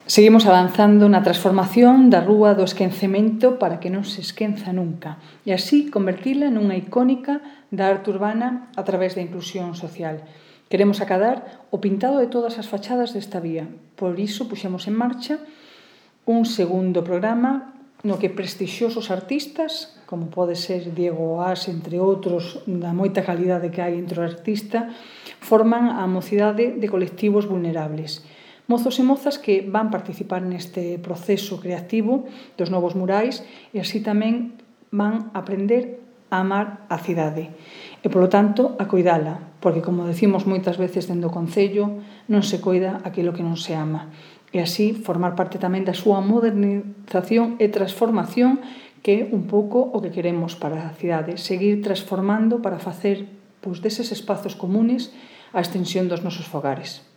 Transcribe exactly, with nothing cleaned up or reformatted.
Seguimos avanzando na transformación da Rúa do Esquecemento para que non se esquenza nunca e así convertila nunha icónica da arte urbana a través da inclusión social. Queremos acadar o pintado de todas as fachadas desta vía. Por iso puxemos en marcha un segundo programa no que prestixiosos artistas, como pode ser Diego Oás, entre outros, da moita calidade que hai entre o artista, forman a mocidade de colectivos vulnerables. Mozos e mozas que van participar neste proceso creativo dos novos murais e así tamén van aprender a amar a cidade e, polo tanto, a coidala, porque, como decimos moitas veces dende o Concello, non se coida aquilo que non se ama. E así formar parte tamén da súa modernización e transformación, que é un pouco o que queremos para a cidade, seguir transformando para facer pois, deses espazos comunes a extensión dos nosos fogares.